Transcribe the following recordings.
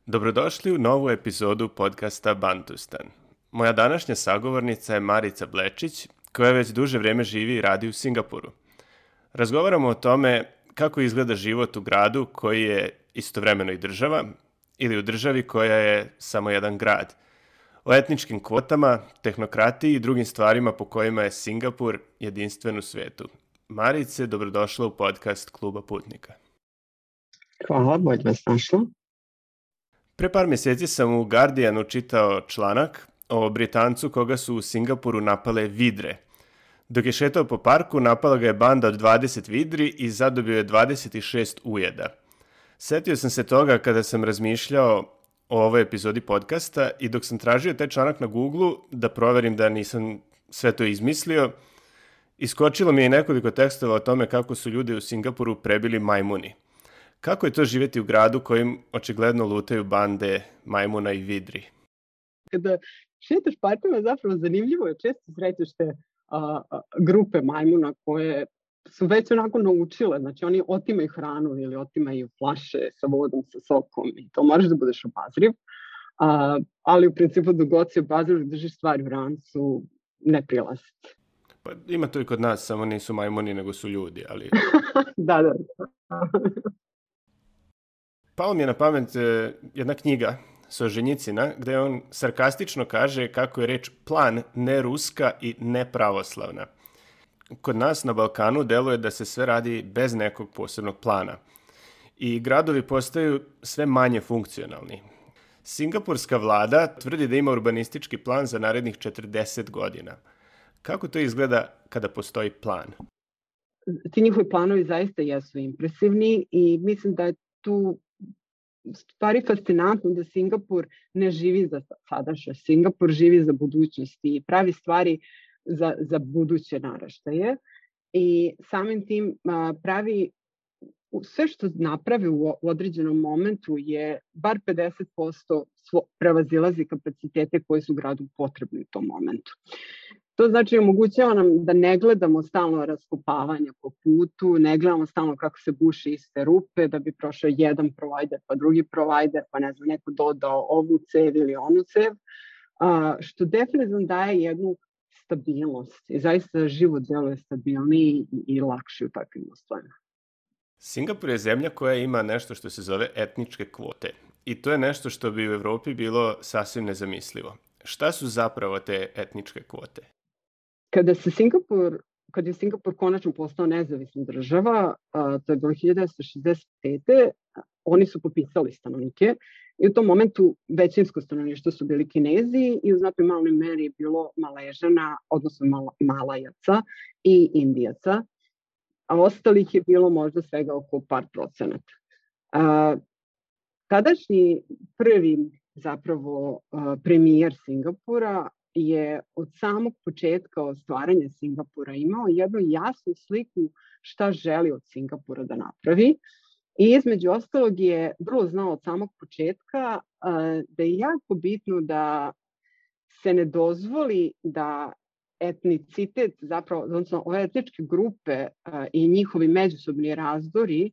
Dobrodošli u novu epizodu podcasta Bantustan. Moja današnja sagovornica je Marica Blečić, koja već duže vrijeme živi i radi u Singapuru. Razgovaramo o tome kako izgleda život u gradu koji je istovremeno i država, ili u državi koja je samo jedan grad. O etničkim kvotama, tehnokratiji i drugim stvarima po kojima je Singapur jedinstven u svijetu. Marice, dobrodošla u podcast Kluba putnika. Hvala, bolje vas našla. Pre par mjeseci sam u Guardianu čitao članak o Britancu koga su u Singapuru napale vidre. Dok je šetao po parku, napala ga je banda od 20 vidri i zadobio je 26 ujeda. Setio sam se toga kada sam razmišljao o ovoj epizodi podcasta i dok sam tražio taj članak na Google da proverim da nisam sve to izmislio, iskočilo mi je nekoliko tekstova o tome kako su ljudi u Singapuru prebili majmuni. Kako je to živjeti u gradu kojim očigledno lutaju bande majmuna i vidri? Kada šetaš parkima, zapravo zanimljivo je, često srećeš te grupe majmuna koje su već onako naučile, znači oni otimaju hranu ili otimaju flaše sa vodom, sa sokom i to moraš da budeš obazriv, ali u principu dok god si obazriv držiš stvari u rancu, ne prilaziti. Pa ima to i kod nas, samo nisu majmuni nego su ljudi, ali... Da. Palo mi je na pamet jedna knjiga Solženjicina, gdje on sarkastično kaže kako je reč plan neruska i nepravoslavna. Kod nas na Balkanu deluje da se sve radi bez nekog posebnog plana. I gradovi postaju sve manje funkcionalni. Singapurska vlada tvrdi da ima urbanistički plan za narednih 40 godina. Kako to izgleda kada postoji plan? Ti njihovi planovi zaista jesu impresivni i mislim da je tu stvari fascinantno da Singapur ne živi za sadašnjost. Singapur živi za budućnost i pravi stvari za buduće naraštaje i samim tim pravi sve što napravi u određenom momentu je bar 50% prevazilazi kapacitete koji su gradu potrebni u tom momentu. To znači omogućava nam da ne gledamo stalno raskopavanje po putu, ne gledamo stalno kako se buše iste rupe, da bi prošao jedan provider pa drugi provider, pa ne znam, neko dodao ovu cev ili onu cev, što definitivno daje jednu stabilnost i zaista život deluje stabilniji i lakši u takvim uslovima. Singapur je zemlja koja ima nešto što se zove etničke kvote i to je nešto što bi u Evropi bilo sasvim nezamislivo. Šta su zapravo te etničke kvote? Kada je Singapur konačno postao nezavisna država, to je bilo 1965. Oni su popisali stanovnike i u tom momentu većinsko stanovništvo su bili Kinezi i u znatnoj maloj meri je bilo Maležana, odnosno Malajaca i Indijaca, a ostalih je bilo možda svega oko par procenata. Tadašnji prvi zapravo premijer Singapura je od samog početka od stvaranja Singapura imao jednu jasnu sliku šta želi od Singapura da napravi i između ostalog je vrlo znao od samog početka da je jako bitno da se ne dozvoli da etnicitet, zapravo, odnosno ove etničke grupe i njihovi međusobni razdori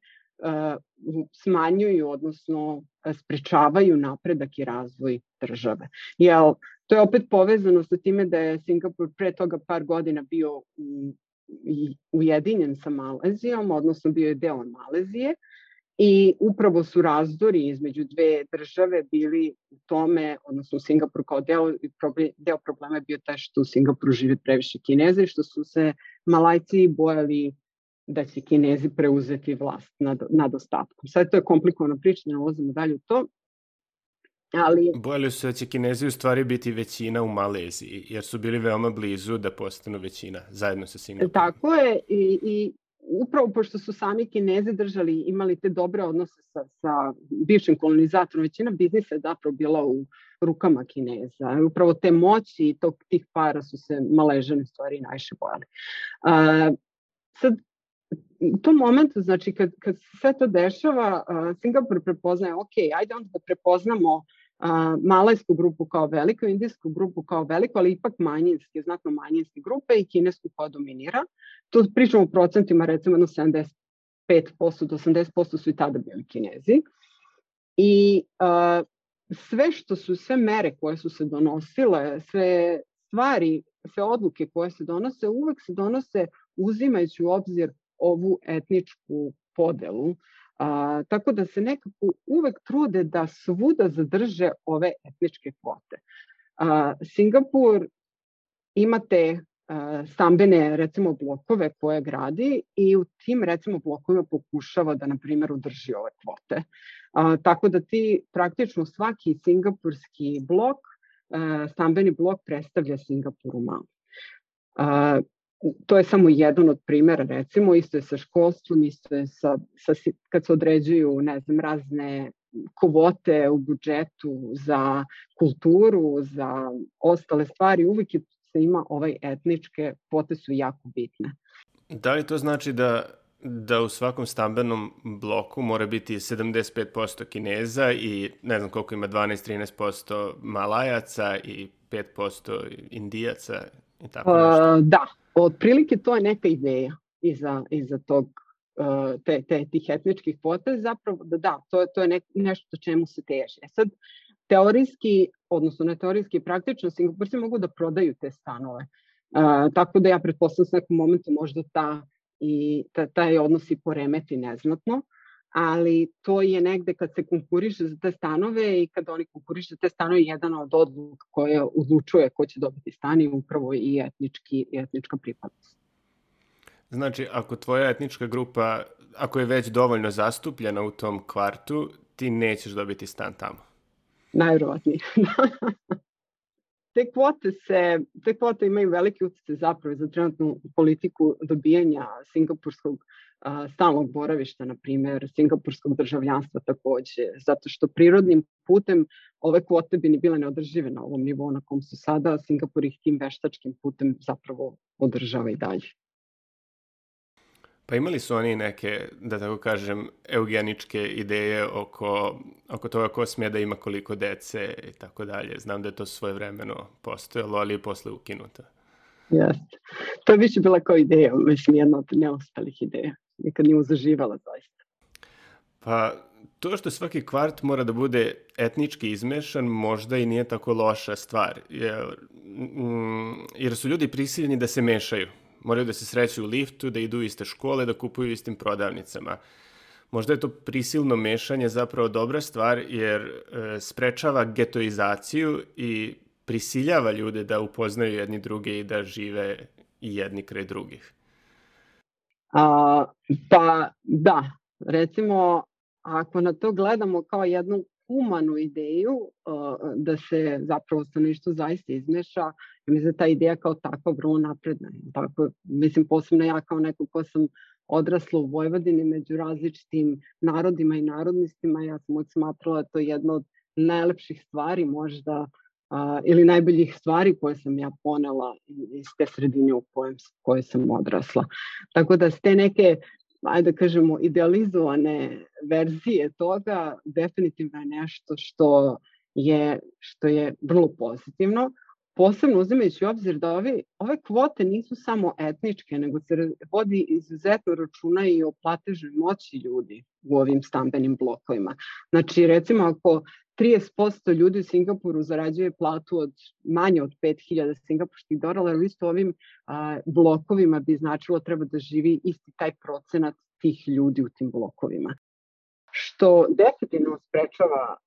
smanjuju, odnosno sprečavaju napredak i razvoj države. Jer to je opet povezano sa time da je Singapur pre toga par godina bio ujedinjen sa Malezijom, odnosno bio je deo Malezije i upravo su razdori između dve države bili u tome, odnosno u Singapuru kao deo problema je bio taj što u Singapuru žive previše Kineza i što su se Malajci bojali da će Kinezi preuzeti vlast nad ostatkom. Sad to je komplikovana priča, ne ulazimo dalje u to. Ali... Bojali su da će Kinezi u stvari biti većina u Maleziji, jer su bili veoma blizu da postanu većina, zajedno sa Singapurom. Tako je, i upravo pošto su sami Kinezi imali te dobre odnose sa bivšim kolonizatorom, većina biznisa je zapravo bila u rukama Kineza. Upravo te moći i tih para su se Maležani stvari najviše bojali. Sad, u tom momentu, znači, kad se sve to dešava, Singapur prepoznaje, ajde onda da prepoznamo malajsku grupu kao veliku, indijsku grupu kao veliku, ali ipak manjinske, znatno manjinske grupe i kinesku koja dominira. Tu pričamo u procentima, recimo, 70 5% do 80% su i tada bili Kinezi. I sve mere koje su se donosile, sve stvari, sve odluke koje se donose, uvek se donose uzimajući u obzir ovu etničku podelu. Tako da se nekako uvek trude da svuda zadrže ove etničke kvote. Singapur ima te stambene, recimo, blokove koje gradi i u tim, recimo, blokovima pokušava da, na primjer, udrži ove kvote. Tako da ti praktično svaki singapurski blok, stambeni blok, predstavlja Singapur u malom. To je samo jedan od primjera, recimo, isto je sa školstvom, isto je kad se određuju, ne znam, razne kvote u budžetu za kulturu, za ostale stvari, uvijek se ima etničke kvote su jako bitne. Da li to znači da u svakom stambenom bloku mora biti 75% Kineza i ne znam koliko ima 12-13% Malajaca i 5% Indijaca i tako nešto? Da, otprilike to je neka ideja iza tog tih etničkih kvota, zapravo da, to je nešto čemu se teži. Sad, teorijski, odnosno ne teorijski, praktično, Singapurci mogu da prodaju te stanove. Tako da ja pretpostavljam s nekom momentu možda taj odnos i poremeti neznatno, ali to je negde kad se konkuriše za te stanove i kad oni konkuriše za te stanove, jedan od odluka koja odlučuje ko će dobiti stan je upravo i etnička pripadnost. Znači, ako tvoja etnička grupa, ako je već dovoljno zastupljena u tom kvartu, ti nećeš dobiti stan tamo. Najvjerovatnije. Te kvote imaju veliki utjecaj zapravo za trenutnu politiku dobijanja singapurskog stalnog boravišta, na primjer, singapurskog državljanstva takođe, zato što prirodnim putem ove kvote bi ni bile neodržive na ovom nivou na kom su sada, Singapur ih tim veštačkim putem zapravo održava i dalje. Pa imali su oni neke, da tako kažem, eugeničke ideje oko toga ko smije da ima koliko dece i tako dalje. Znam da je to svojevremeno postojalo, ali je posle ukinuto. Jeste. To je više bila kao ideja, mislim, jedna od neostalih ideja. Nikad nije zaživala zaista. Pa to što svaki kvart mora da bude etnički izmešan možda i nije tako loša stvar, jer su ljudi prisiljeni da se mešaju. Moraju da se sreću u liftu, da idu u iste škole, da kupuju istim prodavnicama. Možda je to prisilno mešanje zapravo dobra stvar, jer sprečava getoizaciju i prisiljava ljude da upoznaju jedni druge i da žive i jedni kraj drugih. Pa da, recimo, ako na to gledamo kao jednu humanu ideju, da se zapravo stanovništvo zaista izmeša, mislim da ta ideja kao takva vrlo napredna. Tako, mislim, posebno ja kao neko ko sam odrasla u Vojvodini među različitim narodima i narodnostima, ja sam uvijek smatrala to jedna od najlepših stvari možda, ili najboljih stvari koje sam ja ponela iz te sredine u kojoj sam odrasla. Tako da s te neke, ajde da kažemo, idealizovane verzije toga definitivno je nešto što je vrlo pozitivno. Posebno uzimajući u obzir da ove kvote nisu samo etničke, nego se vodi izuzetno računa i o platežnoj moći ljudi u ovim stambenim blokovima. Znači, recimo, ako 30% ljudi u Singapuru zarađuje platu manje od 5.000 singapurskih dolara, isto ovim blokovima bi značilo treba da živi isti taj procenat tih ljudi u tim blokovima. Što definitivno sprečava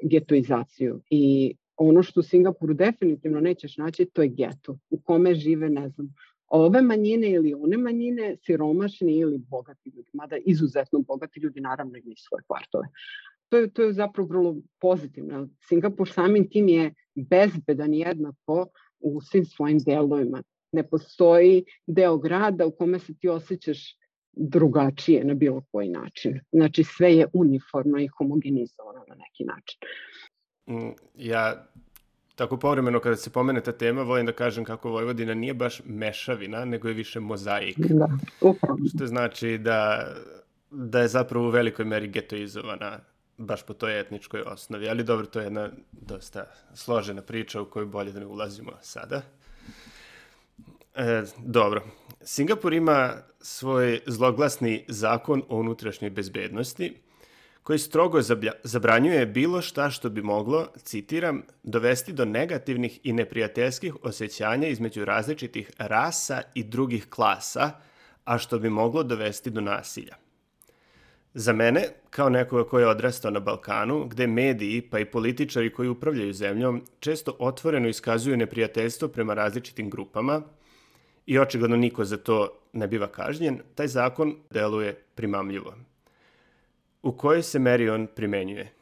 getoizaciju i ono što u Singapuru definitivno nećeš naći, to je geto u kome žive, ne znam, ove manjine ili one manjine, siromašni ili bogati ljudi, mada izuzetno bogati ljudi naravno imaju svoje kvartove. To je zapravo vrlo pozitivno. Singapur samim tim je bezbedan jednako u svim svojim delovima. Ne postoji deo grada u kome se ti osjećaš drugačije na bilo koji način. Znači sve je uniformno i homogenizovano na neki način. Ja tako povremeno kada se pomene ta tema volim da kažem kako Vojvodina nije baš mešavina, nego je više mozaik. Da, upravo. Što znači da je zapravo u velikoj meri getoizovana baš po toj etničkoj osnovi. Ali dobro, to je jedna dosta složena priča u koju bolje da ne ulazimo sada. Dobro. Singapur ima svoj zloglasni zakon o unutrašnjoj bezbednosti, koji strogo zabranjuje bilo šta što bi moglo, citiram, dovesti do negativnih i neprijateljskih osjećanja između različitih rasa i drugih klasa, a što bi moglo dovesti do nasilja. Za mene, kao nekoga koji je odrastao na Balkanu, gde mediji pa i političari koji upravljaju zemljom često otvoreno iskazuju neprijateljstvo prema različitim grupama i očigledno niko za to ne biva kažnjen, taj zakon deluje primamljivo. U kojoj se meri on primenjuje?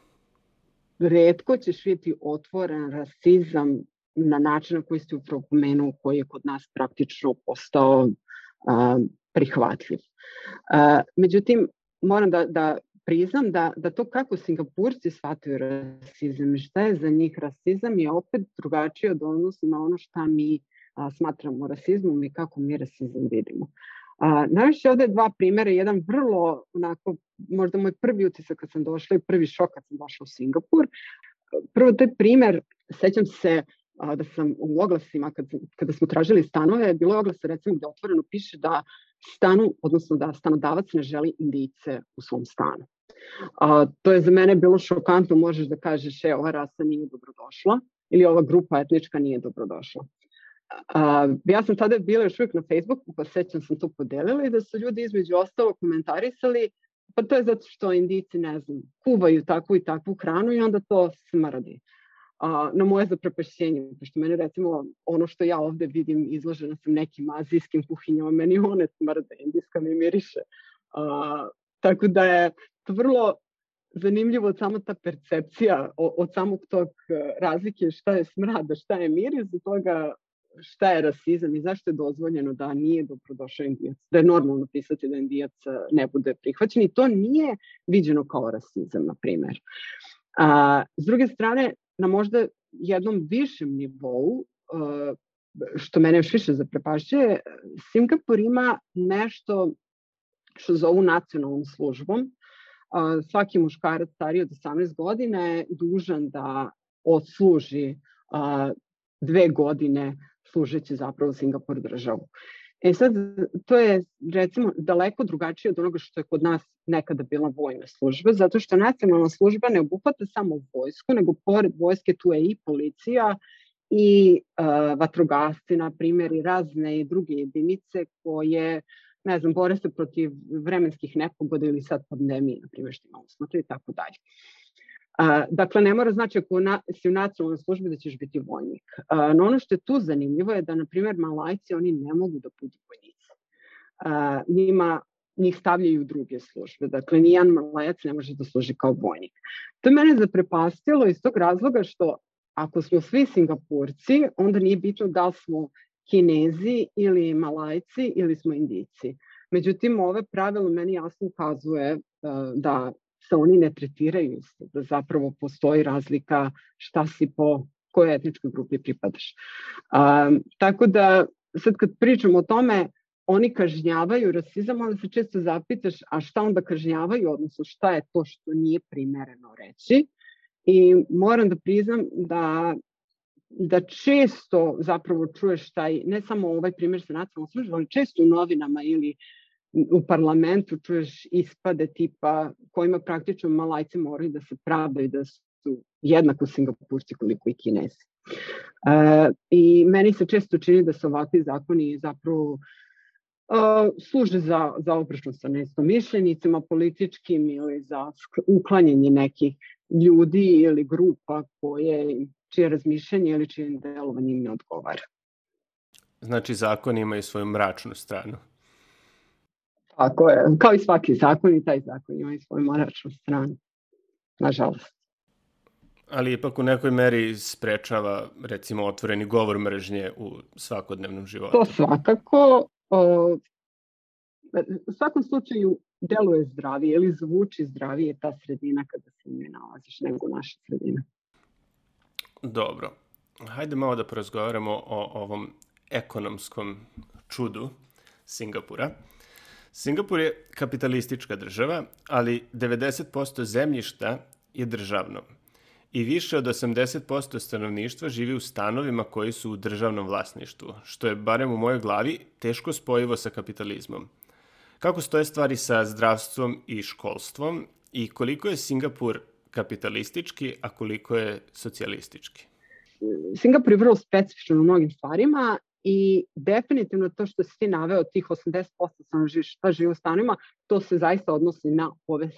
Retko ćeš vidjeti otvoren rasizam na način na koji ste upravo pomenuo, koji je kod nas praktično postao prihvatljiv. Međutim, moram da priznam da to kako Singapurci shvataju rasizam i šta je za njih rasizam je opet drugačije od odnosu na ono šta mi smatramo rasizmom i kako mi rasizam vidimo. Najviše ovde dva primjera, jedan vrlo onako, možda moj prvi utisak kad sam došla i prvi šok kad sam došla u Singapur. Prvo, taj primjer, sećam se da sam u oglasima, kada smo tražili stanove, bilo je oglas recimo gde otvoreno piše da odnosno da stanodavac ne želi Indijce u svom stanu. To je za mene bilo šokantno, možeš da kažeš ova rasa nije dobrodošla ili ova grupa etnička nije dobrodošla. Ja sam tada bila još uvijek na Facebooku, pa sećam sam to podelila i da su ljudi između ostalo komentarisali, pa to je zato što Indijci, ne znam, kuvaju takvu i takvu hranu i onda to smrdi. Na moje zaprepašćenje, pošto mene recimo ono što ja ovde vidim izložena sam nekim azijskim kuhinjama, meni one smrde, indijska mi miriše. Tako da je to vrlo zanimljivo od samo ta percepcija, od samog tog razlike šta je smrad, šta je miris, do toga šta je rasizam i zašto je dozvoljeno da nije dobrodošao Indijac, da je normalno pisati da Indijac ne bude prihvaćen i to nije viđeno kao rasizam, na primjer. S druge strane, na možda jednom višem nivou, što mene još više zaprepašćuje, Singapur ima nešto što zovu nacionalnom službom. Svaki muškarac stariji od 18 godina je dužan da odsluži 2 godine služeći zapravo Singapur državu. Sad, to je recimo daleko drugačije od onoga što je kod nas nekada bila vojna služba, zato što nacionalna služba ne obuhvata samo vojsku, nego pored vojske tu je i policija i vatrogasci, na primjer, i razne i druge jedinice koje, ne znam, bore se protiv vremenskih nepogoda ili sad pandemije, na primjer, što imamo smrti i tako dalje. Dakle, ne mora znači ako si u nacionalnoj službi da ćeš biti vojnik. No ono što je tu zanimljivo je da, na primjer, Malajci, oni ne mogu da budu vojnici. Njih stavljaju u druge službe. Dakle, nijedan Malajac ne može da služi kao vojnik. To je mene zaprepastilo iz tog razloga što ako smo svi Singapurci, onda nije bitno da li smo Kinezi ili Malajci ili smo Indijci. Međutim, ove pravilo meni jasno ukazuje da se oni ne tretiraju isto, da zapravo postoji razlika šta si po kojoj etničkoj grupi pripadaš. Tako da, sad kad pričamo o tome, oni kažnjavaju rasizam, onda se često zapitaš, a šta onda kažnjavaju, odnosno šta je to što nije primereno reći. I moram da priznam da često zapravo čuješ taj, ne samo ovaj primjer sa nacionalnom službom, ali često u novinama ili u parlamentu čuješ ispade tipa kojima praktično Malajci moraju da se pravdaju da su jednako Singapurci koliko i Kinezi. I meni se često čini da se ovakvi zakoni zapravo služe za obračun sa neistomišljenicima političkim ili za uklanjanje nekih ljudi ili grupa čije razmišljanje ili čije delovanje im ne odgovara. Znači, zakoni imaju svoju mračnu stranu. Tako je, kao i svaki zakon i taj zakon ima i svoju mračnu stranu, nažalost. Ali ipak u nekoj meri sprečava, recimo, otvoreni govor mržnje u svakodnevnom životu. To svakako. U svakom slučaju deluje zdravije ili zvuči zdravije ta sredina kada se nje nalaziš nego naša sredina. Dobro. Hajde malo da porazgovaramo o ovom ekonomskom čudu Singapura. Singapur je kapitalistička država, ali 90% zemljišta je državno. i više od 80% stanovništva živi u stanovima koji su u državnom vlasništvu, što je, barem u mojoj glavi, teško spojivo sa kapitalizmom. Kako stoje stvari sa zdravstvom i školstvom i koliko je Singapur kapitalistički, a koliko je socijalistički? Singapur je vrlo specifičan u mnogim stvarima i definitivno to što si ti naveo, tih 80% stanovništva živi u stanovima, to se zaista odnosi na ove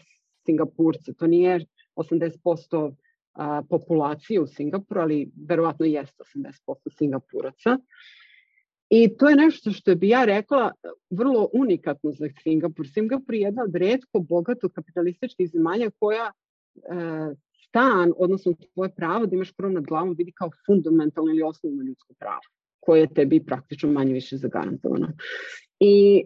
Singapurce. To nije 80% populacije u Singapuru, ali verovatno jeste 80% Singapuraca. I to je nešto što bi ja rekla vrlo unikatno za Singapur. Singapur je jedna od retko bogato kapitalističkih zemalja koja stan, odnosno tvoje pravo da imaš krov nad glavom, vidi kao fundamentalno ili osnovno ljudsko pravo, koje je tebi praktično manje više zagarantovano. I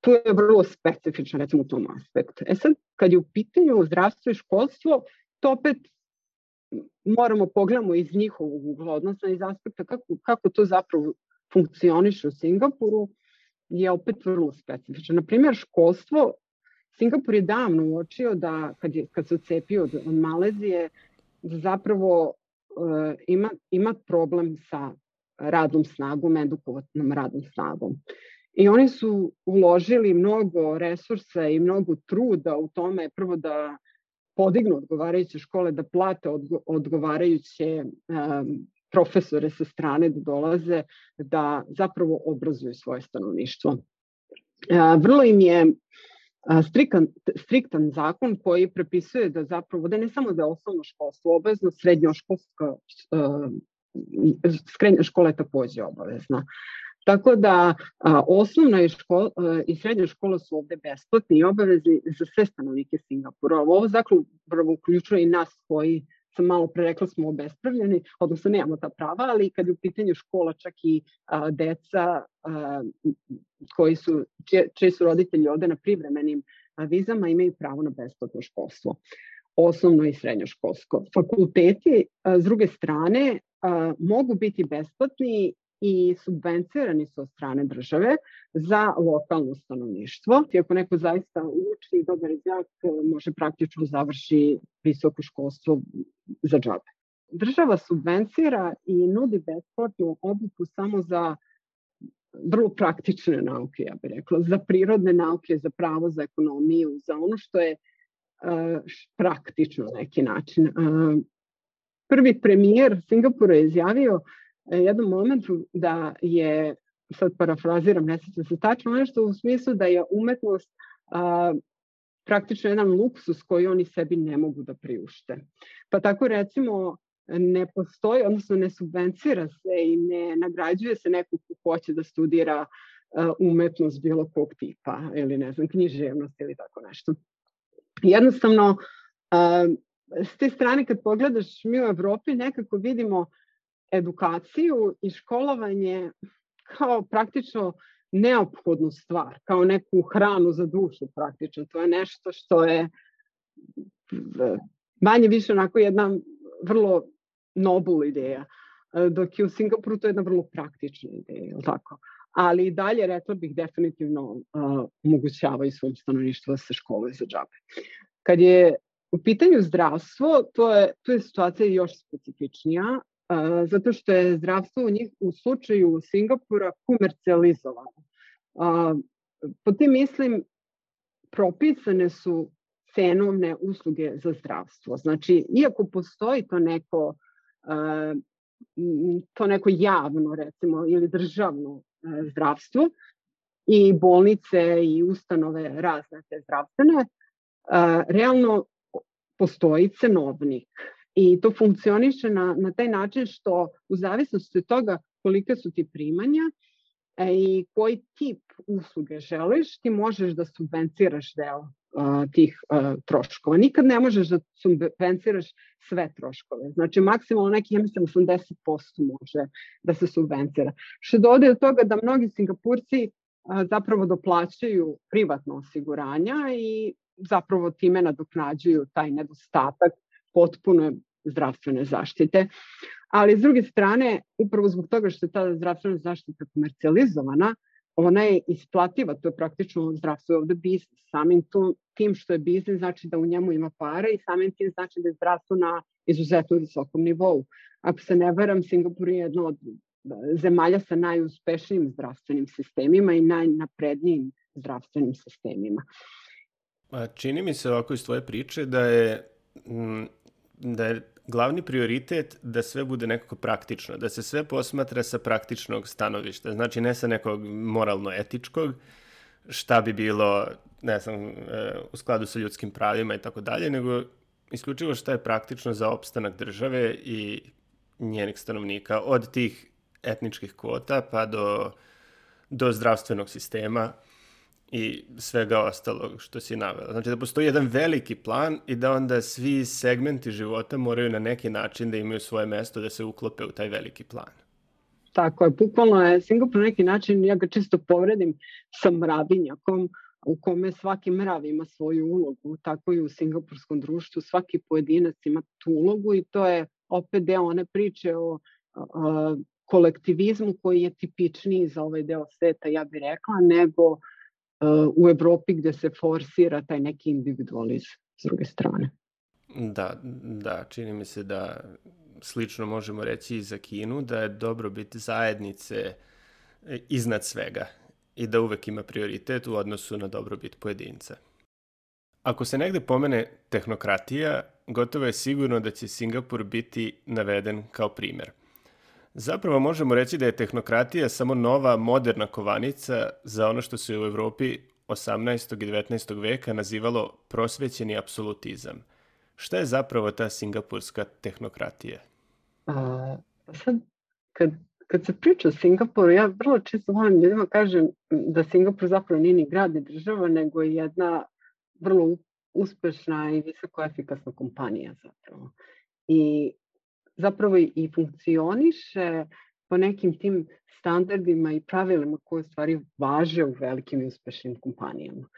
tu je vrlo specifično, recimo, u tom aspektu. Sad, kad je u pitanju zdravstvo i školstvo, to opet moramo pogledamo iz njihovog ugla, odnosno iz aspekta kako to zapravo funkcioniše u Singapuru, je opet vrlo specifično. Naprimjer, školstvo, Singapur je davno uočio da kad se odcepio od Malezije, da zapravo ima problem sa radnom snagom, edukovanom radnom snagom. I oni su uložili mnogo resursa i mnogo truda u tome, prvo da podignu odgovarajuće škole, da plate odgovarajuće profesore sa strane da dolaze, da zapravo obrazuju svoje stanovništvo. Vrlo im je striktan zakon koji prepisuje da zapravo, da ne samo da je osnovno školstvo obavezno, srednja škola je takođe obavezna. Tako da osnovna i srednja škola su ovde besplatni i obavezni za sve stanovnike Singapura. Ovo zapravo uključuje i nas koji, sam malo pre rekla, smo obespravljeni, odnosno nemamo ta prava, ali kad je u pitanju škola, čak i deca čiji su roditelji ovde na privremenim vizama, imaju pravo na besplatno školstvo, osnovno i srednjoškolsko. Fakulteti, s druge strane, mogu biti besplatni i subvencirani su od strane države za lokalno stanovništvo. I ako neko zaista uči i dobar đak, može praktično završi visoko školstvo za džabe. Država subvencira i nudi besplatnu obuku samo za vrlo praktične nauke, ja bih rekla, za prirodne nauke, za pravo, za ekonomiju, za ono što je praktično na neki način. Prvi premijer Singapura je izjavio jednom momentu da je, sad parafraziram, ne sjećam se tačno, nešto u smislu da je umetnost praktično jedan luksus koji oni sebi ne mogu da priušte. Pa tako recimo ne postoji, odnosno ne subvencira se i ne nagrađuje se neko ko hoće da studira umetnost bilo kog tipa ili ne znam, književnost ili tako nešto. Jednostavno, s te strane kad pogledaš, mi u Evropi nekako vidimo edukaciju i školovanje kao praktično neophodnu stvar, kao neku hranu za dušu praktično. To je nešto što je manje više onako jedna vrlo nobel ideja, dok je u Singapuru to je jedna vrlo praktična ideja, tako? Ali i dalje, rekla bih, definitivno omogućavaju svom stanovništvu da se školuje za džabe. Kad je u pitanju zdravstvo, tu je situacija još specifičnija, zato što je zdravstvo u slučaju Singapura komercijalizovano. Po tim mislim, propisane su cenovne usluge za zdravstvo. Znači, iako postoji to neko javno, recimo, ili državno zdravstvo i bolnice i ustanove razne te zdravstvene, realno postoji cenovnik. I to funkcioniše na taj način što u zavisnosti od toga kolike su ti primanja i koji tip usluge želiš, ti možeš da subvenciraš deo tih troškova. Nikad ne možeš da subvenciraš sve troškove. Znači, maksimalno neki, ja mislim, 80% može da se subvencira. Što dovodi do toga da mnogi Singapurci zapravo doplaćaju privatno osiguranja i zapravo time nadoknađuju taj nedostatak potpune zdravstvene zaštite. Ali s druge strane, upravo zbog toga što je ta zdravstvena zaštita komercijalizovana, ona je isplativa, to je praktično zdravstvo ovde biznis. tim što je biznis znači da u njemu ima para i samim tim znači da je zdravstvo na izuzetno visokom nivou. Ako se ne varam, Singapur je jedna od zemalja sa najuspešnijim zdravstvenim sistemima i najnaprednijim zdravstvenim sistemima. Čini mi se ovako iz tvoje priče da je glavni prioritet da sve bude nekako praktično, da se sve posmatra sa praktičnog stanovišta, znači ne sa nekog moralno-etičkog, šta bi bilo, ne znam, u skladu sa ljudskim pravima i tako dalje, nego isključivo šta je praktično za opstanak države i njenih stanovnika, od tih etničkih kvota pa do zdravstvenog sistema i svega ostalog što si navela. Znači da postoji jedan veliki plan i da onda svi segmenti života moraju na neki način da imaju svoje mesto, da se uklope u taj veliki plan. Tako je, bukvalno je Singapur na neki način, ja ga čisto povredim, sa mravinjakom, u kome svaki mrav ima svoju ulogu, tako i u singapurskom društvu, svaki pojedinac ima tu ulogu i to je opet deo one priče o kolektivizmu koji je tipičniji za ovaj deo sveta, ja bih rekla, nego u Evropi gde se forsira taj neki individualizam s druge strane. Da, čini mi se da slično možemo reći i za Kinu, da je dobrobit zajednice iznad svega i da uvek ima prioritet u odnosu na dobrobit pojedinca. Ako se negde pomene tehnokratija, gotovo je sigurno da će Singapur biti naveden kao primer. Zapravo možemo reći da je tehnokratija samo nova moderna kovanica za ono što se u Evropi 18. i 19. veka nazivalo prosvećeni apsolutizam. Šta je zapravo ta singapurska tehnokratija? Sad, kad se priča o Singapuru, ja vrlo često volim ljudima kažem da Singapur zapravo nije ni grad ni država, nego je jedna vrlo uspešna i visoko efikasna kompanija zapravo. I zapravo i funkcioniše po nekim tim standardima i pravilima koje u stvari važe u velikim i uspešnim kompanijama.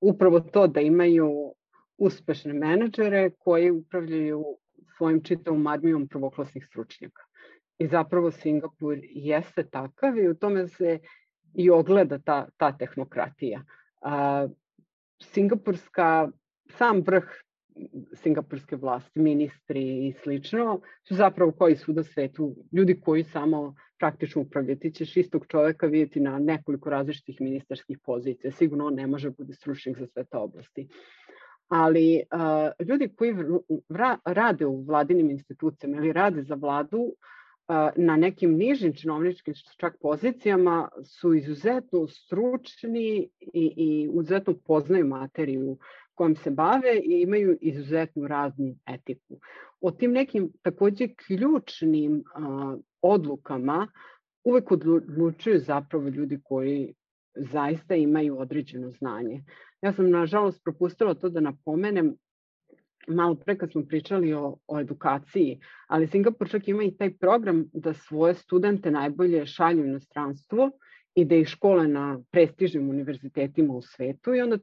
Upravo to da imaju uspešne menadžere koji upravljaju svojim čitavom armijom prvoklasnih stručnjaka. I zapravo Singapur jeste takav i u tome se i ogleda ta tehnokratija. Sam vrh singapurske vlasti, ministri i slično, su zapravo koji su u svetu, ljudi koji samo praktično upravljaju. Ti ćeš istog čoveka vidjeti na nekoliko različitih ministarskih pozicija. Sigurno on ne može biti stručnjak za sve te oblasti. Ali ljudi koji rade u vladinim institucijama ili rade za vladu na nekim nižim činovničkim čak pozicijama su izuzetno stručni i izuzetno poznaju materiju kojom se bave i imaju izuzetnu raznu etiku. O tim nekim takođe ključnim odlukama uvek odlučuju zapravo ljudi koji zaista imaju određeno znanje. Ja sam nažalost propustila to da napomenem malo pre kad smo pričali o edukaciji, ali Singapur čak ima i taj program da svoje studente najbolje šalju u inostranstvo i da ih škole na prestižnim univerzitetima u svetu i onda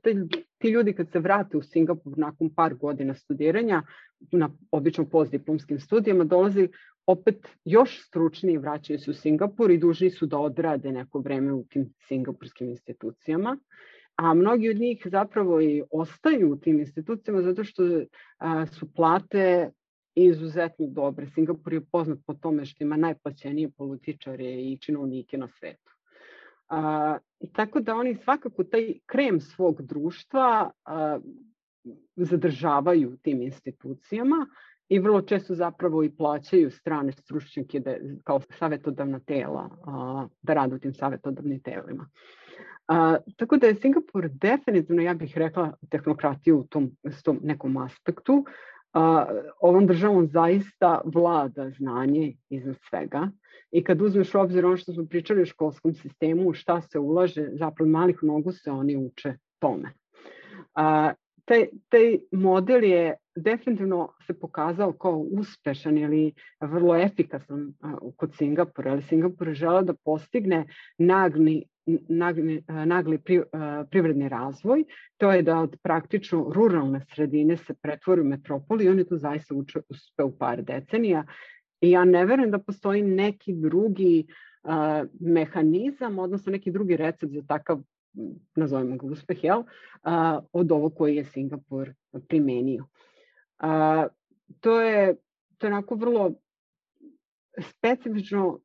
ti ljudi kad se vrate u Singapur nakon par godina studiranja, na obično postdiplomskim studijama, dolaze opet još stručniji, vraćaju se u Singapur i dužni su da odrade neko vreme u tim singapurskim institucijama. A mnogi od njih zapravo i ostaju u tim institucijama zato što su plate izuzetno dobre. Singapur je poznat po tome što ima najplaćenije političare i činovnike na svetu. I tako da oni svakako taj krem svog društva zadržavaju u tim institucijama i vrlo često zapravo i plaćaju strane stručnjake kao savetodavna tela da rade u tim savetodavnim telima. Tako da je Singapur definitivno, ja bih rekla, tehnokratija u tom nekom aspektu. Ovom državom zaista vlada znanje iznad svega i kad uzmeš u obzir ono što smo pričali o školskom sistemu, šta se ulaže, zapravo malih nogu se oni uče tome. Taj model je definitivno se pokazao kao uspešan ili vrlo efikasan kod Singapura, ali Singapur je želeo da postigne nagli privredni razvoj, to je da od praktično ruralne sredine se pretvori u metropolu i oni to zaista uspe u par decenija. I ja ne verujem da postoji neki drugi mehanizam, odnosno neki drugi recept za takav nazovemo ga uspeh, od ovog koji je Singapur primenio. To je onako vrlo specifično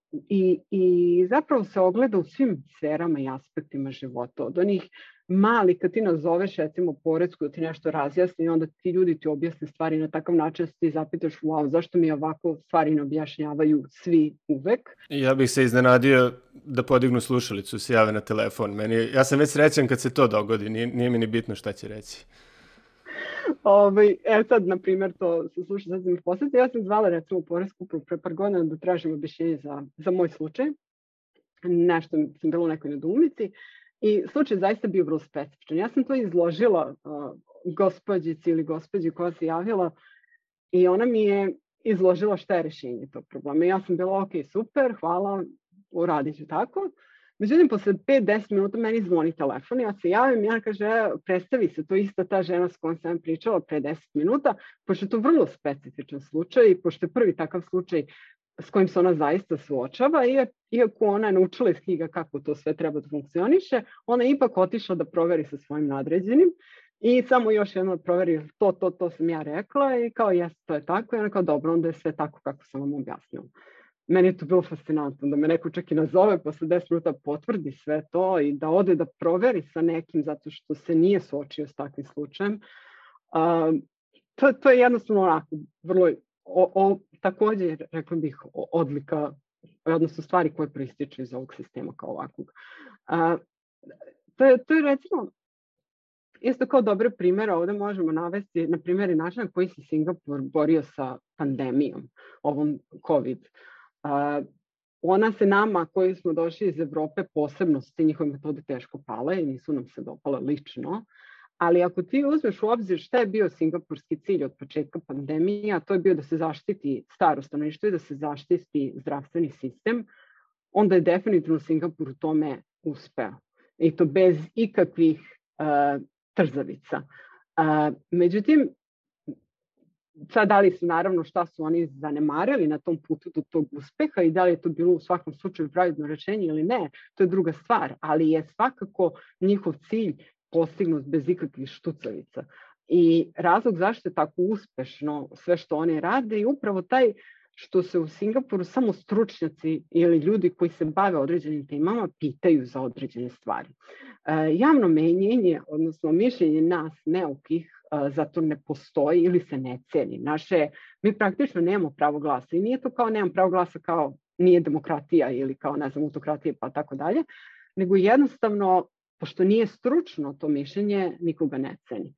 i zapravo se ogleda u svim sferama i aspektima života. Od onih mali, kad ti nazoveš recimo poresku da ti nešto razjasni i onda ti ljudi ti objasne stvari na takav način da ti zapitaš wow, zašto mi ovako stvari ne objašnjavaju svi uvek. Ja bih se iznenadio da podignu slušalicu, se jave na telefon. Ja sam već srećan kad se to dogodi, nije mi ni bitno šta će reći. Sad, na primjer, to se sluša, sad sam posjetila, ja sam zvala recimo poresku upravu pre par godina da tražim objašnjenje za moj slučaj. Nešto sam bila u nekoj nedoumici i slučaj zaista bio vrlo specifičan. Ja sam to izložila gospođici ili gospođi koja se javila i ona mi je izložila šta je rešenje tog problema. Ja sam bila ok, super, hvala, uradit ću tako. Međutim, posle 5-10 minuta meni zvoni telefon, ja se javim i ona kaže, predstavi se, to je ista ta žena s kojom sam pričala pre 10 minuta, pošto je to vrlo specifičan slučaj i pošto je prvi takav slučaj s kojim se ona zaista suočava, iako ona je naučila iz knjiga kako to sve treba da funkcioniše, ona je ipak otišla da proveri sa svojim nadređenim i samo još jedno proveri to sam ja rekla i kao jes, to je tako i ona kao dobro, onda je sve tako kako sam vam objasnila. Meni je to bilo fascinantno da me neko čak i nazove posle 10 minuta, potvrdi sve to i da ode da proveri sa nekim zato što se nije suočio s takvim slučajem. To je jednostavno onako vrlo, također rekla bih odlika, odnosno stvari koje proističu iz ovog sistema kao ovakvog. To je recimo isto kao dobre primjere, ovdje možemo navesti na primjeri načina na koji se Singapur borio sa pandemijom, ovom COVID. Ona se nama koji smo došli iz Evrope posebno su te njihove metode teško pale i nisu nam se dopale lično, ali ako ti uzmeš u obzir šta je bio singapurski cilj od početka pandemije, a to je bio da se zaštiti staro stanovništvo i da se zaštiti zdravstveni sistem, onda je definitivno Singapur u tome uspeo. I to bez ikakvih trzavica. Međutim, sad da li su naravno šta su oni zanemarili na tom putu do tog uspeha i da li je to bilo u svakom slučaju pravilno rešenje ili ne, to je druga stvar, ali je svakako njihov cilj postignut bez ikakvih štucavica. I razlog zašto je tako uspešno sve što oni rade je upravo taj što se u Singapuru samo stručnjaci ili ljudi koji se bave određenim temama pitaju za određene stvari. Javno menjenje, odnosno mišljenje nas neukih, zato ne postoji ili se ne ceni. Mi praktično nemamo pravo glasa i nije to kao nemam pravo glasa kao nije demokratija ili kao ne znam autokratija pa tako dalje, nego jednostavno pošto nije stručno to mišljenje, nikoga ne ceni.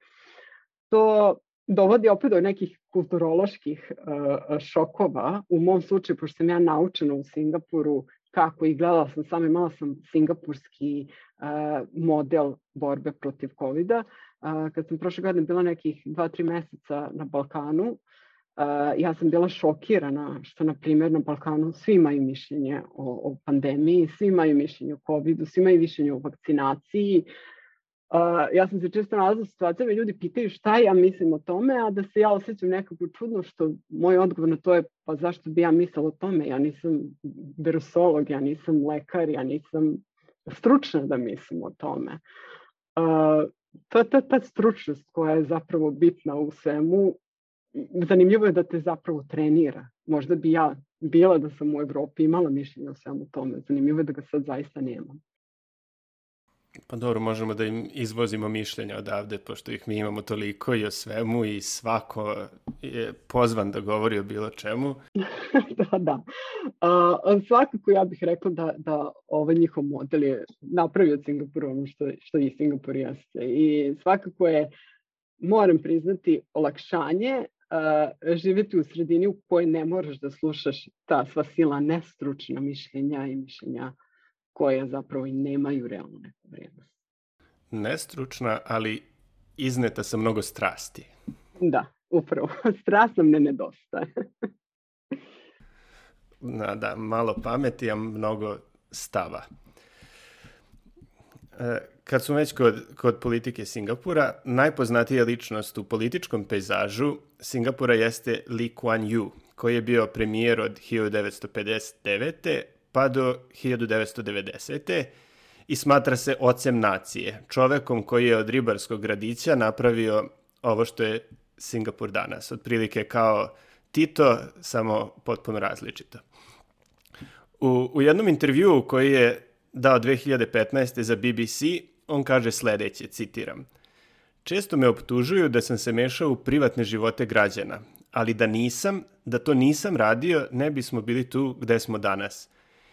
To dovodi opet do nekih kulturoloških šokova. U mom slučaju, pošto sam ja naučena u Singapuru kako i gledala sam samo imala sam singapurski model borbe protiv COVID-a. Kad sam prošle godine bila nekih 2-3 meseca na Balkanu, ja sam bila šokirana što, na primjer, na Balkanu svi imaju mišljenje o pandemiji, svi imaju mišljenje o COVID-u, svi imaju mišljenje o vakcinaciji. Ja sam se često nalazila u situacijama i ljudi pitaju šta ja mislim o tome, a da se ja osjećam nekako čudno što moj odgovor na to je pa zašto bi ja mislila o tome, ja nisam virusolog, ja nisam lekar, ja nisam stručna da mislim o tome. To je ta stručnost koja je zapravo bitna u svemu. Zanimljivo je da te zapravo trenira. Možda bi ja bila da sam u Evropi imala mišljenje o svemu tome. Zanimljivo je da ga sad zaista nemam. Pa dobro, možemo da im izvozimo mišljenja odavde, pošto ih mi imamo toliko i o svemu i svako je pozvan da govori o bilo čemu. Da. Svakako ja bih rekla da ovaj njihov model je napravio od Singapura ono što i Singapur jeste. I svakako je, moram priznati, olakšanje živjeti u sredini u kojoj ne moraš da slušaš ta sva silna nestručna mišljenja i mišljenja koje zapravo i nemaju realnu neku vrijednost. Nestručna, ali izneta sa mnogo strasti. Da, upravo. Strast nam ne nedostaje. Da, malo pameti, a mnogo stava. Kad smo već kod politike Singapura, najpoznatija ličnost u političkom pejzažu Singapura jeste Lee Kuan Yew, koji je bio premijer od 1959. pa do 1990. i smatra se ocem nacije, čovekom koji je od ribarskog gradića napravio ovo što je Singapur danas. Otprilike kao Tito, samo potpuno različito. U jednom intervjuu koji je dao 2015. za BBC, on kaže sledeće, citiram: "Često me optužuju da sam se mešao u privatne živote građana, ali da to nisam radio, ne bismo bili tu gde smo danas.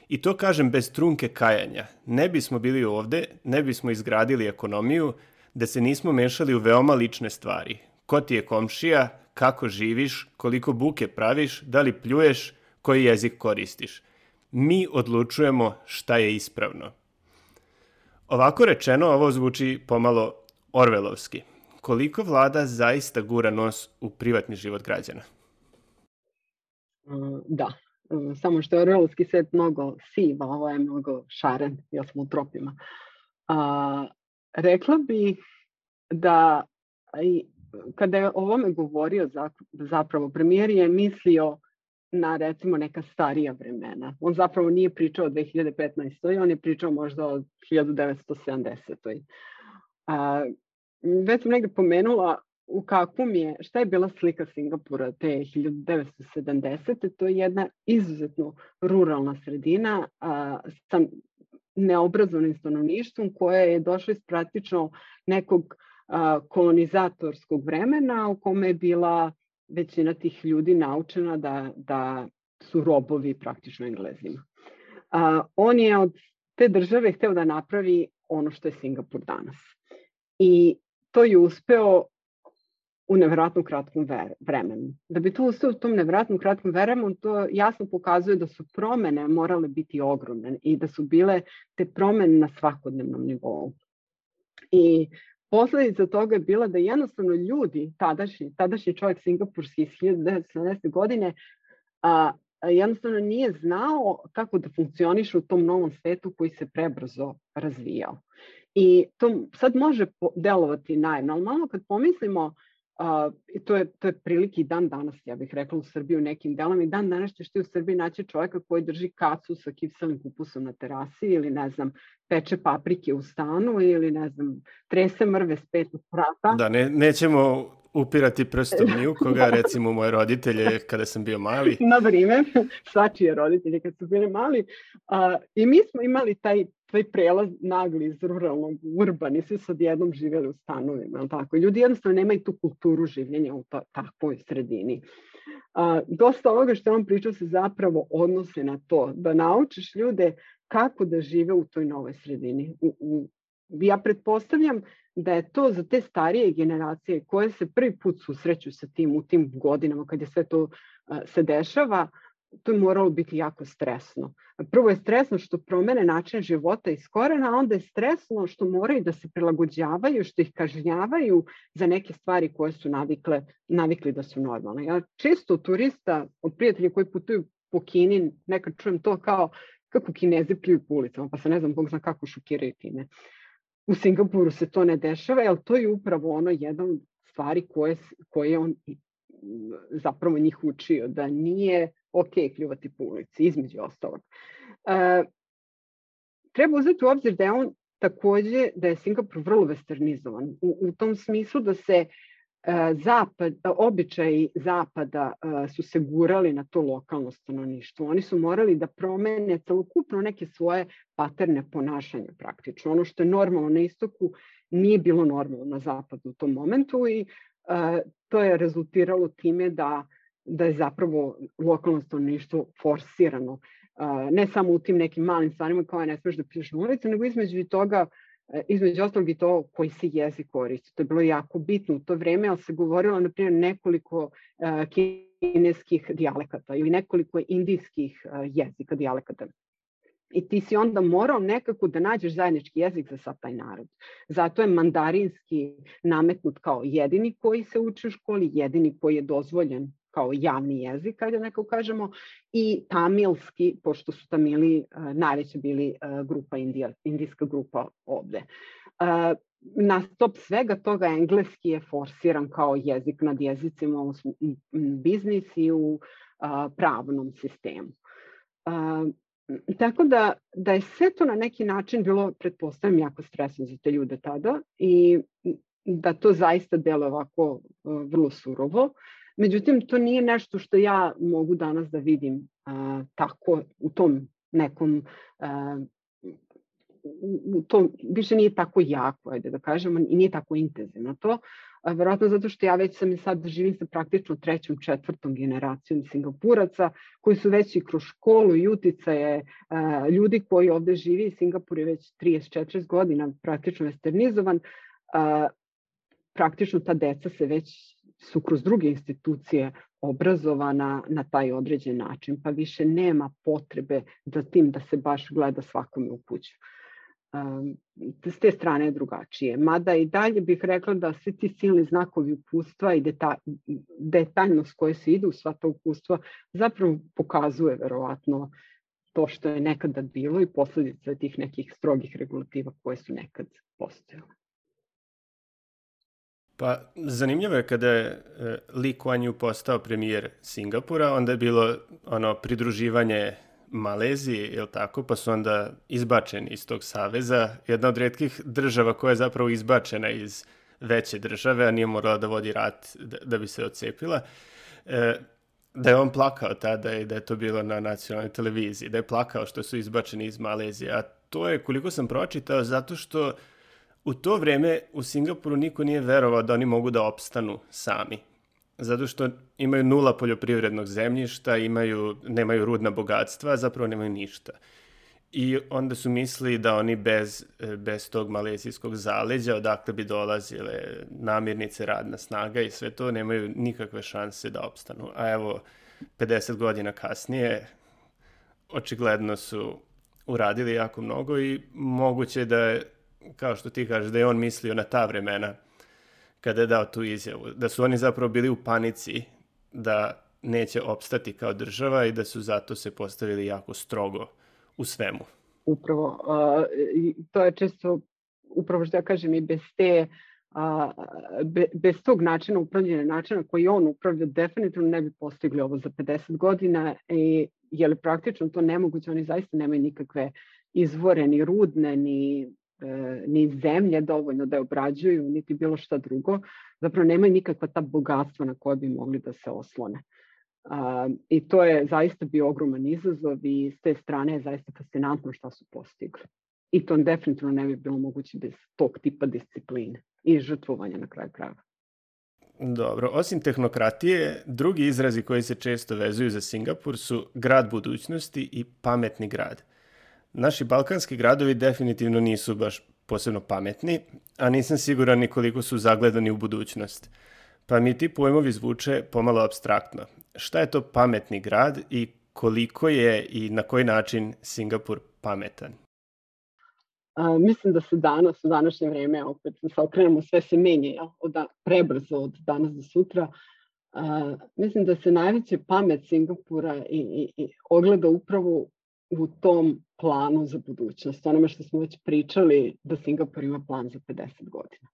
I to kažem bez trunke kajanja. Ne bismo bili ovde, ne bismo izgradili ekonomiju, da se nismo mešali u veoma lične stvari. Ko ti je komšija, kako živiš, koliko buke praviš, da li pljuješ, koji jezik koristiš. Mi odlučujemo šta je ispravno." Ovako rečeno, ovo zvuči pomalo orvelovski. Koliko vlada zaista gura nos u privatni život građana? Da, samo što je orvelovski svet mnogo siv, a ovo je mnogo šaren, jer smo u tropima. Rekla bih da kada je o ovome govorio zapravo premijer je mislio na recimo neka starija vremena. On zapravo nije pričao o 2015. On je pričao možda o 1970. Već sam negde pomenula šta je bila slika Singapura te 1970. To je jedna izuzetno ruralna sredina sa neobrazovanim stanovništvom koje je došlo iz praktično nekog kolonizatorskog vremena u kome je bila većina tih ljudi naučena da su robovi praktično Englezima. On je od te države hteo da napravi ono što je Singapur danas. I to je uspeo u nevjerojatno kratkom vremenu. Da bi to uspeo u tom nevjerojatno kratkom vremenu, to jasno pokazuje da su promene morale biti ogromne i da su bile te promene na svakodnevnom nivou. I posledica toga je bila da jednostavno ljudi, tadašnji čovjek singapurski iz 1970. godine, jednostavno nije znao kako da funkcioniše u tom novom svetu koji se prebrzo razvijao. I to sad može delovati najnormalno kad pomislimo, to je prilike i dan danas, ja bih rekla, u Srbiji u nekim delama, i dan danas ćeš ti u Srbiji naći čovjeka koji drži kacu sa kipselim kupusom na terasi ili, ne znam, peče paprike u stanu ili, ne znam, trese mrve s 5 vrata. Da, nećemo upirati prstom ni u koga, recimo moje roditelje kada sam bio mali. Na vrijeme, svačije roditelje kad su bili mali. I mi smo imali taj prelaz nagli iz ruralnog u urbani, svi su odjednom živjeli u stanovima. Tako? Ljudi jednostavno nemaju tu kulturu življenja u takvoj sredini. Dosta ovoga što on pričao se zapravo odnose na to, da naučiš ljude kako da žive u toj novoj sredini. Ja pretpostavljam da je to za te starije generacije koje se prvi put susreću sa tim u tim godinama kad je sve to se dešava, to je moralo biti jako stresno. Prvo je stresno što promene način života iz korena, a onda je stresno što moraju da se prilagođavaju, što ih kažnjavaju za neke stvari koje su navikli da su normalne. Ja često turista od prijatelja koji putuju po Kini nekad čujem to kao kako Kinezi pljuju po ulicama, pa se ne znam, Bog zna kako šokiraju time. U Singapuru se to ne dešava, ali to je upravo ono jedan stvari koje on zapravo njih učio, da nije ok pljuvati po ulici, između ostalog. Treba uzeti u obzir da je on takođe, da je Singapur vrlo westernizovan, u tom smislu da se običaji zapada su se gurali na to lokalno stanovništvo. Oni su morali da promene celokupno neke svoje paterne ponašanja praktično. Ono što je normalno na istoku nije bilo normalno na zapadu u tom momentu i to je rezultiralo time da je zapravo lokalno stanovništvo forsirano. Ne samo u tim nekim malim stvarima kao ne smeš da piješ na ulici, nego između ostalog i to koji se jezik koristi. To je bilo jako bitno u to vreme, ali se govorilo, na primjer, nekoliko kineskih dijalekata ili nekoliko indijskih jezika dijalekata. I ti si onda morao nekako da nađeš zajednički jezik za sav taj narod. Zato je mandarinski nametnut kao jedini koji se uči u školi, jedini koji je dozvoljen kao javni jezik, ajde neko kažemo, i tamilski, pošto su Tamili najveća bili indijska grupa ovde. Na top svega toga engleski je forsiran kao jezik nad jezicima u biznis i u pravnom sistemu. Tako da je sve to na neki način bilo, pretpostavljam, jako stresno za te ljude tada i da to zaista deluje ovako vrlo surovo. Međutim, to nije nešto što ja mogu danas da vidim tako u tom nekom to više nije tako jako, ajde da kažemo, i nije tako intenzivno to. Verovatno zato što ja već sam sad živim sa praktično 3., 4. generacijom Singapuraca koji su već i kroz školu i uticaje ljudi koji ovde živi. Singapur je već 30-40 godina praktično westernizovan. Praktično ta deca se već su kroz druge institucije obrazovana na taj određen način, pa više nema potrebe za tim da se baš gleda svakome u kuću. S te strane je drugačije. Mada i dalje bih rekla da svi ti silni znakovi upustva i detaljnost koje se ide u sva ta upustva zapravo pokazuje verovatno to što je nekada bilo i posledica tih nekih strogih regulativa koje su nekad postojale. Pa zanimljivo je kada je Lee Kuan Yew postao premijer Singapura, onda je bilo pridruživanje Maleziji, je li tako, pa su onda izbačeni iz tog saveza. Jedna od retkih država koja je zapravo izbačena iz veće države, a nije morala da vodi rat da bi se odcepila. Da je on plakao tada i da je to bilo na nacionalnoj televiziji, da je plakao što su izbačeni iz Malezije. A to je, koliko sam pročitao, zato što u to vreme u Singapuru niko nije verovao da oni mogu da opstanu sami. Zato što imaju 0 poljoprivrednog zemljišta, nemaju rudna bogatstva, zapravo nemaju ništa. I onda su mislili da oni bez tog malezijskog zaleđa, odakle bi dolazile namirnice, radna snaga i sve to, nemaju nikakve šanse da opstanu. A evo, 50 godina kasnije, očigledno su uradili jako mnogo i moguće da je, kao što ti kažeš, da je on mislio na ta vremena kada je dao tu izjavu, da su oni zapravo bili u panici da neće opstati kao država i da su zato se postavili jako strogo u svemu. Upravo, to je često, upravo što ja kažem, i bez tog načina upravljanja, načina koji on upravlja, definitivno ne bi postigli ovo za 50 godina, jer praktično to nemoguće, oni zaista nemaju nikakve izvore, ni rudne, ni zemlje dovoljno da je obrađuju, niti bilo šta drugo. Zapravo nemaju nikakva ta bogatstva na koje bi mogli da se oslone. I to je zaista bio ogroman izazov i s te strane je zaista fascinantno šta su postigli. I to definitivno ne bi bilo moguće bez tog tipa discipline i žrtvovanja na kraju krajeva. Dobro, osim tehnokratije, drugi izrazi koji se često vezuju za Singapur su grad budućnosti i pametni grad. Naši balkanski gradovi definitivno nisu baš posebno pametni, a nisam siguran ni koliko su zagledani u budućnost. Pa mi ti pojmovi zvuče pomalo apstraktno. Šta je to pametni grad i koliko je i na koji način Singapur pametan? Mislim da se danas, u današnje vreme, opet se okrenemo, sve se menja prebrzo od danas do sutra. Mislim da se najveća pamet Singapura i ogleda upravo u tom planu za budućnost. Onome što smo već pričali da Singapur ima plan za 50 godina.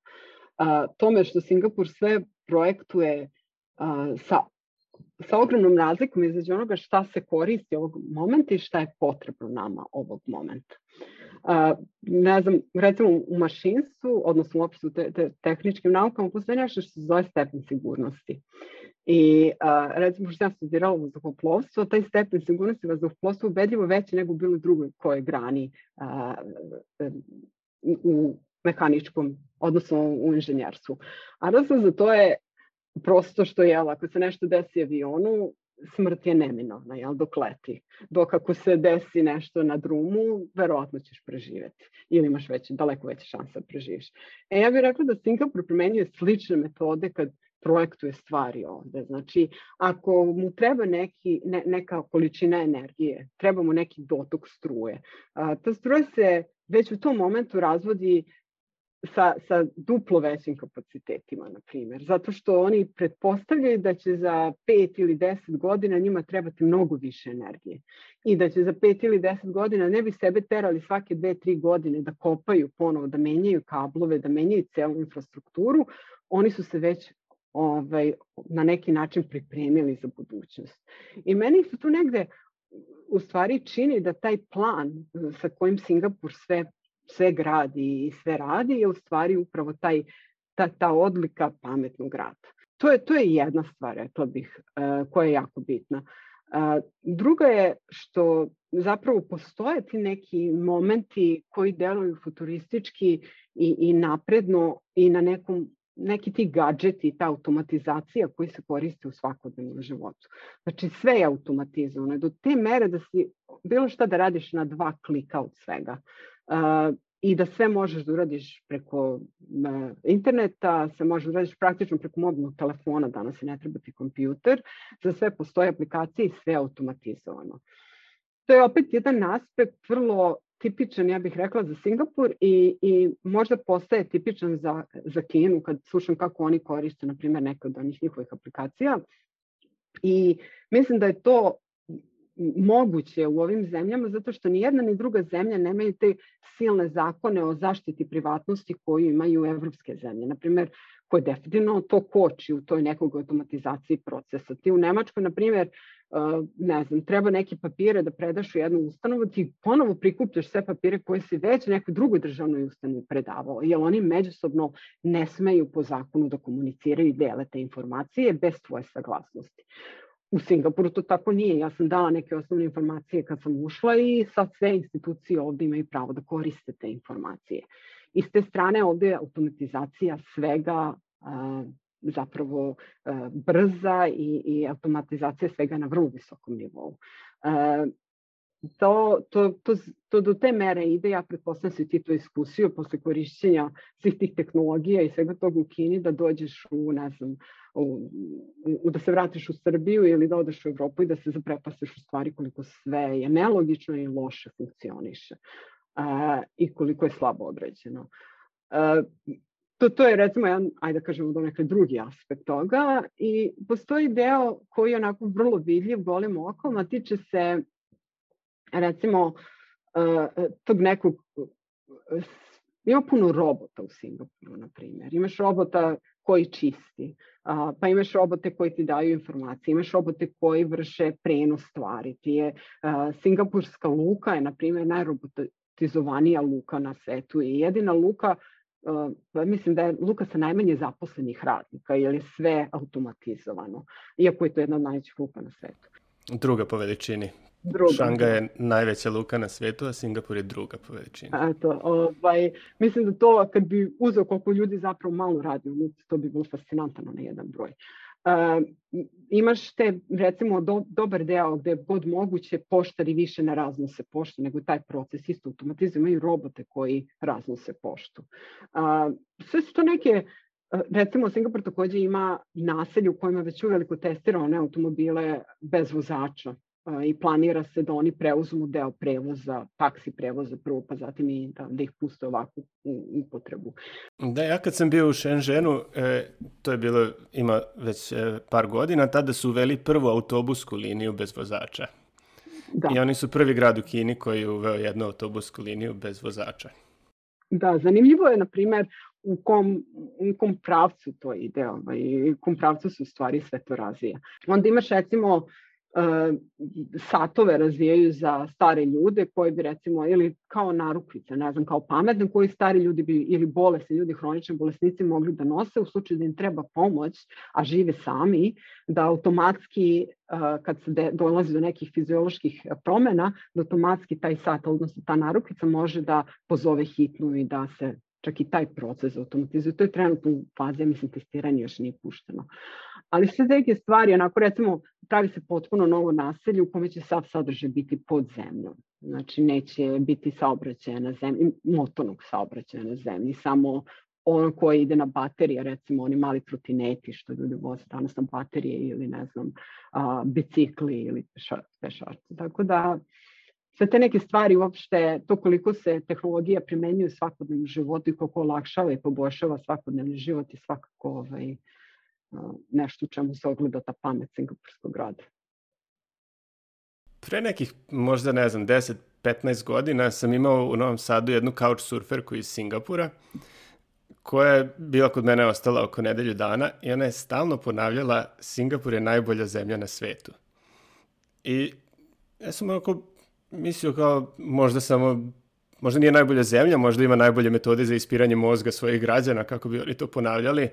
Tome što Singapur sve projektuje sa ogromnom razlikom između onoga šta se koristi ovog momenta i šta je potrebno nama ovog momenta. Ne znam, recimo u mašinstvu, odnosno uopšte u tehničkim naukama, postoji nešto što se zove stepen sigurnosti. I recimo što sam studirala vazduhoplovstvo, taj stepen sigurnosti vazduhoplovstva je ubedljivo veći nego bilo drugoj kojoj grani u mehaničkom, odnosno u inženjerstvu. A razlog za to je prosto što je, ako se nešto desi avionu, smrt je neminovna, dok leti. Dok ako se desi nešto na drumu, verovatno ćeš preživeti. Ili imaš daleko veće šanse da preživiš. Ja bih rekla da Singapur primenjuje slične metode kad projektuje stvari ovde. Znači, ako mu treba neka količina energije, treba mu neki dotok struje. Ta struja se već u tom momentu razvodi sa duplo većim kapacitetima, na primjer. Zato što oni pretpostavljaju da će za 5 ili 10 godina njima trebati mnogo više energije. I da će za 5 ili 10 godina ne bi sebe terali svake 2-3 godine da kopaju ponovo, da menjaju kablove, da menjaju celu infrastrukturu. Oni su se već na neki način pripremili za budućnost. I meni su tu negde u stvari čini da taj plan sa kojim Singapur sve gradi i sve radi je u stvari upravo ta odlika pametnog grada. To je jedna stvar, rekla bih, koja je jako bitna. Druga je što zapravo postoje ti neki momenti koji deluju futuristički i napredno i na neki ti gadžeti, ta automatizacija koji se koriste u svakodnevnom životu. Znači sve je automatizovano do te mere da si bilo šta da radiš na 2 klika od svega. I da sve možeš da uradiš preko interneta, sve možeš da uradiš praktično preko mobilnog telefona, danas ne treba ti kompjuter, za sve postoje aplikacije i sve je automatizovano. To je opet jedan aspekt vrlo tipičan, ja bih rekla, za Singapur i možda postaje tipičan za Kinu kad slušam kako oni koriste, na primjer, neke od onih njihovih aplikacija. I mislim da je to moguće u ovim zemljama zato što ni jedna ni druga zemlja nemaju te silne zakone o zaštiti privatnosti koju imaju evropske zemlje. Na primjer, koje definitivno to koči u toj nekog automatizaciji procesa. Ti u Nemačkoj, na primjer, ne znam, treba neke papire da predaš u jednu ustanovu, ti ponovo prikupljaš sve papire koje si već nekoj drugoj državnoj ustanovi predavao, jer oni međusobno ne smeju po zakonu da komuniciraju i dele te informacije bez tvoje saglasnosti. U Singapuru to tako nije. Ja sam dala neke osnovne informacije kad sam ušla i sad sve institucije ovdje imaju pravo da koriste te informacije. I s te strane ovdje je automatizacija svega zapravo brza i automatizacija svega na vrlo visokom nivou. To do te mere ide, ja pretpostavljam si ti to iskusio posle korišćenja svih tih tehnologija i svega toga u Kini da dođeš da se vratiš u Srbiju ili da odeš u Evropu i da se zaprepastiš u stvari koliko sve je nelogično i loše funkcioniše i koliko je slabo određeno. To je recimo jedan, ajde da kažemo, donekle drugi aspekt toga i postoji deo koji je onako vrlo vidljiv golim okom, a tiče se recimo tog nekog, ima puno robota u Singapuru, na primjer. Imaš robota koji čisti, pa imaš robote koji ti daju informacije, imaš robote koji vrše prenos stvari. Singapurska luka je, na primjer, najrobotizovanija luka na svetu i jedina luka, mislim da je luka sa najmanje zaposlenih radnika, jer je sve automatizovano, iako je to jedna od najvećih luka na svetu. Druga po veličini. Šangaj je najveća luka na svetu, a Singapur je druga po veličini. Mislim da to, kad bi uzeo koliko ljudi zapravo malo radi u luci, to bi bilo fascinantno na jedan broj. Imaš te, recimo, dobar deo gde god moguće poštari više ne raznose poštu, nego taj proces isto automatizuje, imaju robote koji raznose poštu. Sve su to neke, recimo, Singapur takođe ima naselje u kojima već uveliko testirao one automobile bez vozača i planira se da oni preuzmu deo prevoza, taksi prevoza prvo, pa zatim i da ih puste ovako u upotrebu. Da, ja kad sam bio u Shenzhenu, to je bilo, ima već par godina, tada su uveli prvu autobusku liniju bez vozača. Da. I oni su prvi grad u Kini koji je uveo jednu autobusku liniju bez vozača. Da, zanimljivo je, na primjer, u kom pravcu to ide, u kom pravcu se u stvari sve to razvija. Onda imaš, recimo, satove razvijaju za stare ljude koji bi, recimo, ili kao narukvice, ne znam, kao pametne, koji stari ljudi bi, ili bolesni ljudi, hronični bolesnici mogli da nose u slučaju da im treba pomoć, a žive sami, da automatski, kad se dolazi do nekih fizioloških promena, da automatski taj sat, odnosno ta narukvica može da pozove hitnu i da se čak i taj proces automatizuje. To je trenutno u fazi, mislim, testiranje još nije pušteno. Ali sve neke stvari, onako, recimo, pravi se potpuno novo naselje u kome će sav sadržaj biti pod zemljom. Znači, neće biti saobraćaja na zemlji, motornog saobraćaja na zemlji, samo ono koje ide na baterije, recimo oni mali trotineti što ljudi voze danas na baterije ili, ne znam, bicikli ili pešačci. Tako da, sve te neke stvari uopšte, to koliko se tehnologija primenjuje u svakodnevnom životu i koliko olakšava i poboljšava svakodnevni život i svakako nešto u čemu se ogleda ta pamet singapurskog grada. Pre nekih, možda ne znam, 10-15 godina sam imao u Novom Sadu jednu couchsurferku iz Singapura koja je bila kod mene ostala oko nedelju dana i ona je stalno ponavljala Singapur je najbolja zemlja na svetu. I Ja sam onako mislio kao možda nije najbolja zemlja, možda ima najbolje metode za ispiranje mozga svojih građana, kako bi oni to ponavljali,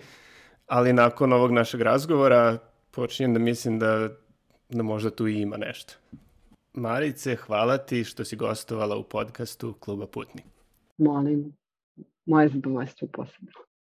ali nakon ovog našeg razgovora počinjem da mislim da možda tu i ima nešto. Marice, hvala ti što si gostovala u podcastu Kluba Putnik. Molim, moje zadovoljstvo posebno.